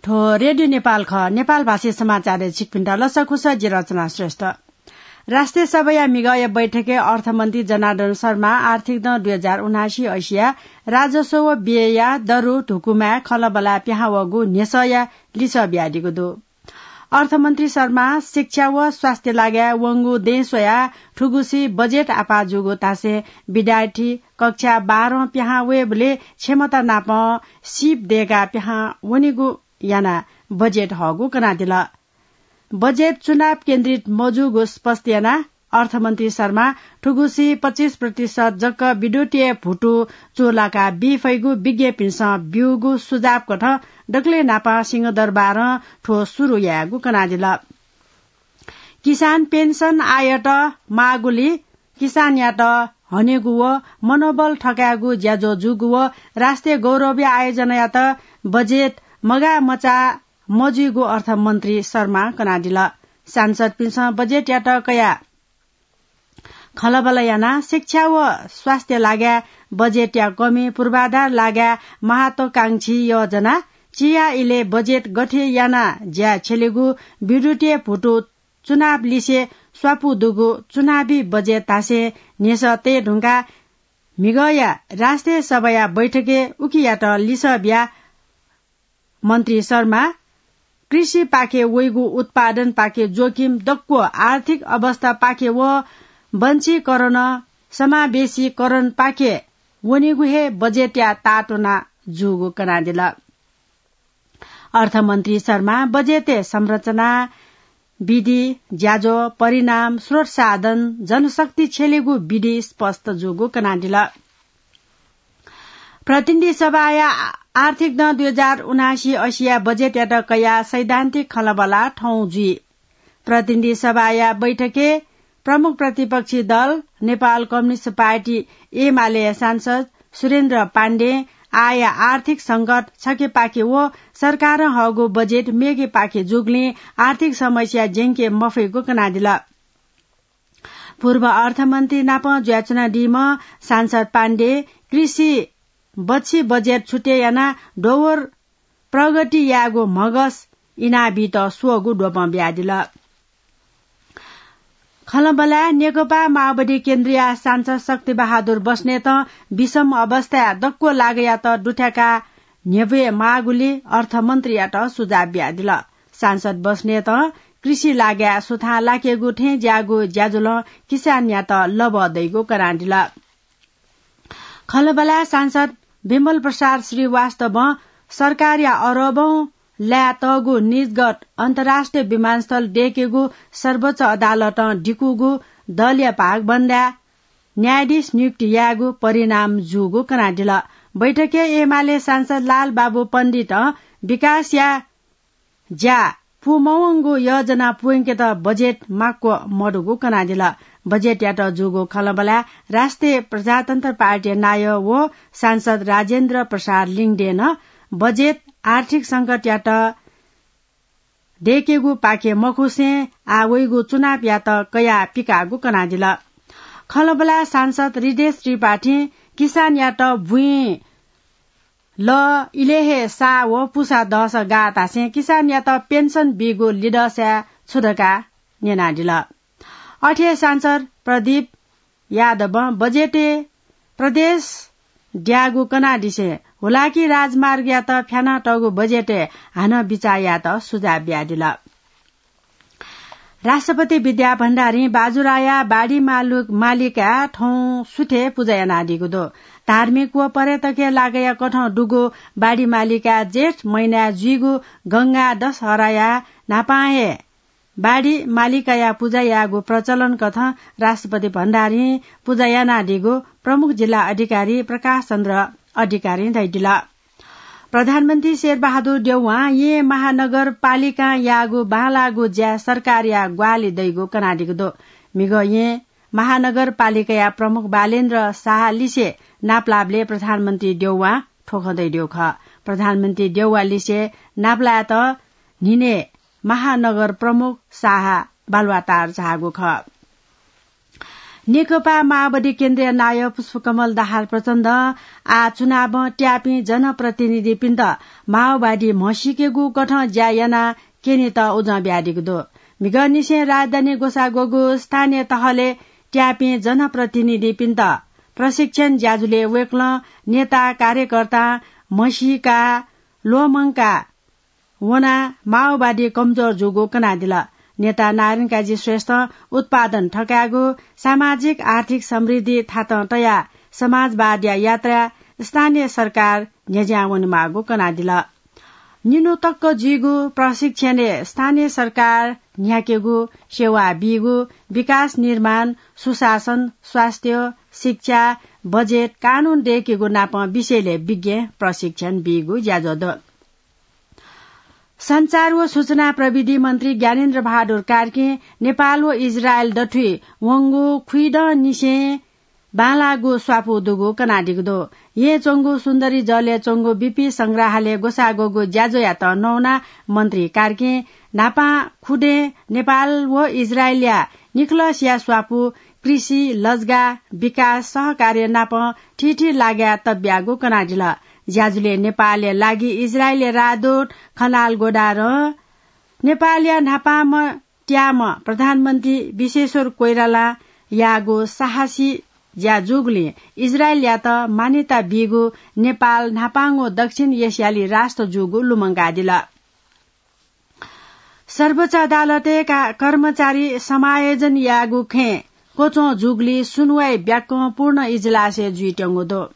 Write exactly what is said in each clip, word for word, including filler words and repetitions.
थ्व रेडियो नेपाल खः। नेपाल भाषी समाचारय् छिकपिन्त लसकुस, जि रचना श्रेष्ठ। राष्ट्रिय सभाया म्हिगःया बैठकय् अर्थमन्त्री जनार्दन शर्मा आर्थिक दँ दुई हजार उनासी अइसिया राजस्व व व्ययया दरु धुकुमाय् खँल्हाबल्हाय् पिहां वःगु न्ह्यसःया लिसः बियादीगु दु। अर्थमन्त्री शर्मा शिक्षा व स्वास्थ्य लागाय् वंगु दँय् स्वयाः थुगुसी बजेट आपाः जूगु धासें विद्यार्थी कक्षा बाह्रं पिहां वयेबलय् क्षमता नाप सीप दय्काः पिहां वनेगु यानाः बजेट हःगु कनादिल। बजेट चुनाव केन्द्रित मजूगु स्पष्ट यानाः अर्थमन्त्री शर्मा थुगुसी पच्चिस प्रतिशत जक विद्युतीय भुतु चूलाका बी फइगु विज्ञपिन्सं ब्यूगु सुझाव कथं दकलय् न्हापां सिंहदरबारं थ्व सुरु यायेगु कनादिल। किसान पेन्सन आयत माःगुली किसानयात हनेगु व मनोबल थकायेगु ज्याझ्वः जूगु व राष्ट्रिय गौरवया आयोजनायात बजेट मगाः मचाः मजुइगु अर्थमन्त्री शर्मा कनादिल। सांसदपिन्सं बजेटयात कयाः खँल्हाबल्हा यानाः शिक्षा व स्वास्थ्य लागाय् बजेटया कमी, पूर्वाधार लागाय् महत्वाकांक्षी योजना, चिया इलय् बजेट गथे यानाः ज्या छ्यलेगु, विद्युतीय भुतु चुनाव लिसे स्वापू दुगु चुनावी बजेट धासें न्ह्यसः तये धुंकाः म्हिगःया राष्ट्रिय सभाया बैठकय् उकियात लिसः बियाः मन्त्री शर्मा कृषिपाखे वइगु उत्पादनपाखे जोखिम दक्व आर्थिक अवस्थापाखे व वंशीकरण समावेशीकरणपाखे वनेगु हे बजेटया ताःतुना जूगु कनादिल। अर्थमन्त्री शर्मा बजेटय् संरचना, विधि, ज्याझ्वः, परिणाम, स्रोत साधन, जनशक्ति छ्यलेगु विधि स्पष्ट जूगु कनादिल। प्रतिनिधि सभाया आ-, आर्थिक दँ दुई हजार उनासी असिया बजेटयात कयाः सैद्धान्तिक खँल्हाबल्हा थौं जुइ। प्रतिनिधि सभाया बैठकय् प्रमुख प्रतिपक्षी दल नेपाल कम्युनिस्ट पार्टी एमालेया सांसद सुरेन्द्र पाण्डें आःया आर्थिक संकट छखेपाखे व सरकारं हःगु बजेट मेगेपाखे जूगुलिं आर्थिक समस्या ज्यंके मफइगु कनादिल। पूर्व अर्थमन्त्री नाप जुयाच्वनादीम्ह सांसद पाण्डे कृषि बच्छि बजेट छुटे यानाः डोहोर प्रगति यायेगु म्हगस इनाबीत स्वःगु द्वपं बियादिल। खँल्हाबल्हाय् नेकपा माओवादी केन्द्रया सांसद शक्तिबहादुर बस्नेतं विषम अवस्थाय् दक्व लागायात दुथ्याकाः न्ह्यब्वये माःगुलिं अर्थमन्त्रीयात सुझाव बियादिल। सांसद बस्नेतं कृषि लागाय् सुथां लाकेगु थें ज्याःगु ज्याझ्वलं किसानयात लबः दइगु कनादिल। खँल्हाबल्हाय् सांसद विमल प्रसाद श्रीवास्तवं सरकारया अरबौं लाय् तःगु निजगत अन्तर्राष्ट्रिय विमानस्थल दयेकेगु सर्वोच्च अदालतं दिकूगु दलया भागबन्दाय् न्यायाधीश नियुक्ति यायेगु परिणाम जूगु कनादिल। बैठकय् एमाले सांसद लालबाबु पण्डितं विकासया ज्या पूमवंगु योजना पूवंकेत बजेट माक्व मदुगु कनादिल। बजेटयात जूगु खँल्हाबल्हाय् राष्ट्रिय प्रजातन्त्र पार्टीया नायः व सांसद राजेन्द्र प्रसाद लिङदेनं बजेट आर्थिक संकटयात दयेकेगुपाखे मखुसें आः वइगु चुनावयात कयाः पिकाःगु कनादिल। खँल्हाबल्हाय् सांसद हृदेश त्रिपाठीं किसानयात बुँइ लः इलय् हे साः व पुसा दःसा गाः धासें किसानयात पेन्सन बीगु लिधःसाय् छु धकाः न्यनादिल। अथे हे सांसद प्रदीप यादवं बजेटय् प्रदेश द्याःगु कनादिसें हुलाकी राजमार्गयात फ्यानातःगु बजेटय् हानं बिचाः यायेत सुझाव बियादिल। राष्ट्रपति विद्या भण्डारीं बाजुराया बाडी मालु-, मालिकाय् थौं सुथय् पुजा यानादीगु दु। धार्मिक व पर्यटकीय लागाया कथं दुगु बाडी मालिकाय् जेठ महिनाय् जुइगु गंगा दशहराया न्हापां हे बाडी मालिकाया पुजा यायेगु प्रचलन कथं राष्ट्रपति भण्डारीं पुजा यानादीगु प्रमुख जिल्ला अधिकारी प्रकाश चन्द्र अधिकारीं धयादिल। प्रधानमन्त्री शेरबहादुर देउवां येँ महानगरपालिकां याःगु बांलाःगु ज्या सरकारया ग्वाहालि दइगु कनादीगु दु। म्हिगः येँ महानगरपालिकाया प्रमुख बालेन्द्र शाह लिसे नापलाःबलय् प्रधानमन्त्री देउवां थ्व खँ धयादिउ खः। प्रधानमन्त्री देउवा लिसे नापलायेत न्हिनय् महानगर प्रमुख शाह बालुवाटार झाःगु खः। नेकपा माओवादी केन्द्रीय नायः पुष्पकमल दाहाल प्रचण्डं आः चुनावं त्याःपिं जनप्रतिनिधिपिन्त माओवादी म्हसीकेगु कथं ज्या यानाः क्यनेत उजं बियादीगु दु। म्हिगःनिसें राजधानी ग्वसाः ग्वःगु स्थानीय तहलय् त्याःपिं जनप्रतिनिधिपिन्त प्रशिक्षण ज्याझ्वलय् वय्कलं नेता कार्यकर्तां म्हसीका ल्वःमंका वनाः माओवादी कमजोर जूगु कनादिल। नेता नारायण काजी श्रेष्ठं उत्पादन थकायेगु, सामाजिक आर्थिक समृद्धि थातं तयाः समाजवादया यात्रा स्थानीय सरकार न्ह्यज्यां वनेमाःगु कनादिल। निन्हु तक्क जुइगु प्रशिक्षणय् स्थानीय सरकार न्ह्याकेगु, सेवा बीगु, विकास निर्माण, सुशासन, स्वास्थ्य, शिक्षा, बजेट, कानून दय्केगु नापं विषयलय् विज्ञ प्रशिक्षण बीगु ज्याझ्वः दु। सञ्चार व सूचना प्रविधि मन्त्री ज्ञानेन्द्र बहादुर कार्कीं नेपाल व इजरायल दथुइ वंगु खुइदँनिसें बांलाःगु स्वापू दुगु कनादीगु दु। येँय् च्वंगु सुन्दरी जलय् च्वंगु बीपी संग्रहालय ग्वसाः ग्वःगु ज्याझ्वःयात नवानाः मन्त्री कार्कीं न्हापां खुदँय् नेपाल व इजरायलया निखलसया स्वापू कृषि, लजगाः, विकास, सहकार्य नाप थीथी लागाय् तब्याःगु कनादिल। ज्याझ्वलय् नेपालया लागि इजरायलया राजदूत खनाल गोडारं नेपालया न्हापांम्ह त्याःम्ह प्रधानमन्त्री विश्वेश्वर कोइरालां याःगु साहसी ज्या जूगुलिं इजरायलयात मान्यता बीगु नेपाल न्हापांगु दक्षिण एसियाली राष्ट्र जूगु लुमंकादिल। सर्वोच्च अदालतय् का-, कर्मचारी समायोजन याःगु खँय् क्वच्वं जूगुलिं सुनुवाइ ब्याक्कं पूर्ण इजलासय् जुइत्यंगु दु।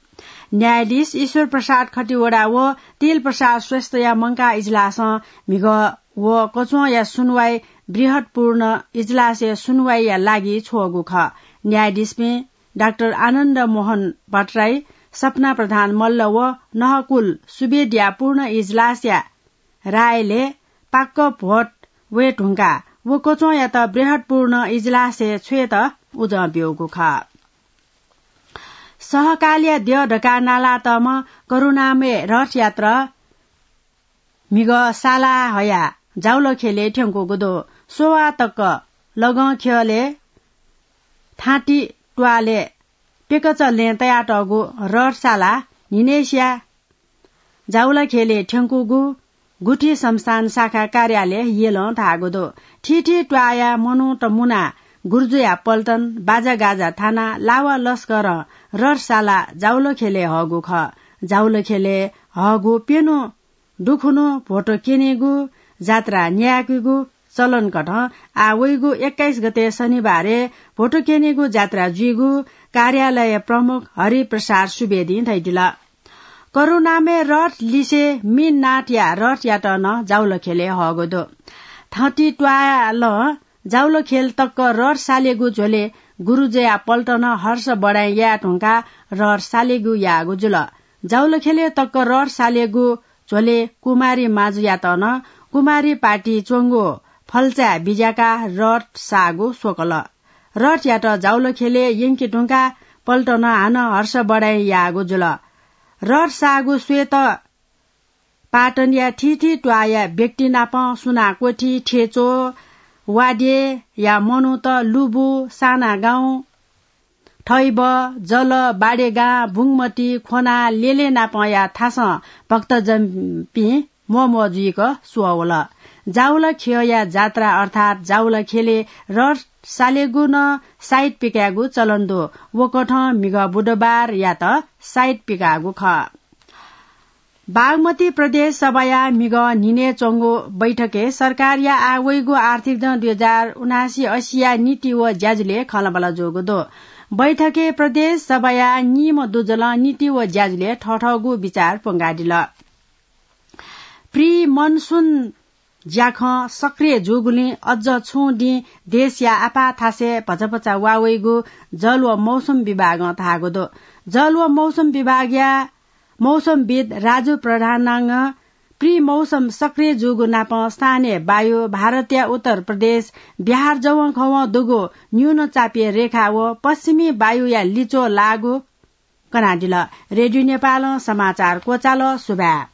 न्यायाधीश ईश्वर प्रसाद खतिवडा व तिल प्रसाद श्रेष्ठया मंकाः इजलासं म्हिगः व क्वच्वंया सुनुवाइ बृहत्पूर्ण इजलासय् सुनुवाइया लागि छ्वःगु खः। न्यायाधीशपिं डाक्टर आनन्द मोहन भट्टराई, सपना प्रधान मल्ल व नहकुल सुवेदीया पूर्ण इजलासया रायलय् पाक्क भोट वये धुंकाः व क्वच्वंयात बृहत्पूर्ण इजलासय् छ्वयेत उजं ब्यूगु खः। सहकालया द्यः धकाः नालातःम्ह करुणामय रथयात्रा म्हिगः साला हयाः जाउलखेलय् थ्यंकूगु दु। स्ववा तक लगं ख्यलय् थाँति त्वालय् पेकच लँय् तयातःगु रथसाला न्हिनय्सिया जाउलाखेलय् थ्यंकूगु गुठी संस्थान शाखा कार्यालय यलं धाःगु दु। थीथी त्वाःया मनूत मुनाः गुरुजुया पल्टन, बाजागाजा थानाः लावा लस्करं रथसाला जाउलाखेलय् हःगु खः। जाउलाखेलय् हःगु प्यन्हु दुखुन्हु भोटो क्यनेगु, जात्रा न्यायेकेगु चलन कथं आः वइगु एक्काइस गते शनिबारय् भोटो क्यनेगु जात्रा जुइगु कार्यालय प्रमुख हरिप्रसाद सुवेदीं धयादिल। करुणामय रथ लिसे मीननाथया रथयात नं जाउलाखेलय् हःगु दु। थाँति त्वालं जाउलाखेल तक रथ सालेगु झ्वलय् गुरुजुया पल्टनं हर्ष बढाइ याये धुंकाः रथ सालेगु याःगु जुल। जाउलाखेलय् तक रथ सालेगु झ्वलय् कुमारी माजुयात नं कुमारी पार्टी च्वंगु फल्चाय् बिज्याकाः रथ साःगु स्वकल। रथयात जाउलाखेलय् यंके धुंकाः पल्टनं हानं हर्ष बढाइ याःगु जुल। रथ साःगु स्वयेत पाटनया थीथी त्वाःया व्यक्ति नाप सुना क्वथि, थेचो, वाद्यया मनूत, लुबु, सानागाउँ, थैब, जल, बाडेगां, बुंगमती, खोना, लेले नापंया थासं भक्तजनपिं म्वःम्वः जुइक स्वः वल। जाउलाखेलया जात्रा अर्थात् जाउलाखेलय् रथ सालेगु नं साइत पिकायेगु चलन दु। व कथं म्हिगः बुधबारयात साइत पिकाःगु खः। बागमती प्रदेश सभाया म्हिगः न्हिनय् च्वंगु बैठकय् सरकारया आः वइगु आर्थिक जं दुई हजार उनासी असीया नीति व ज्याझ्वलय् खँल्हाबल्हा जूगु दु। बैठकय् प्रदेश सभाया निम्ह दुजलं नीति व ज्याझ्वलय् थःथःगु बिचाः प्वंकादिल। प्रि मनसुन ज्याखँ सक्रिय जूगुलिं अझ छुं दिं देशया आपाः थासय् भचाभचा वा वइगु जल व मौसम विभागं धाःगु दु। जल व मौसम विभागया मौसमविद् राजु प्रधानंगं प्रि मौसम सक्रिय जूगु नाप स्थानीय वायु, भारतया उत्तर प्रदेश, बिहार जवंखवं दुगु न्यून चापीय रेखा व पश्चिमी वायुया लिच्वः लाःगु कनादिल। रेडियो नेपालं समाचार क्वचाल। सुभाय्।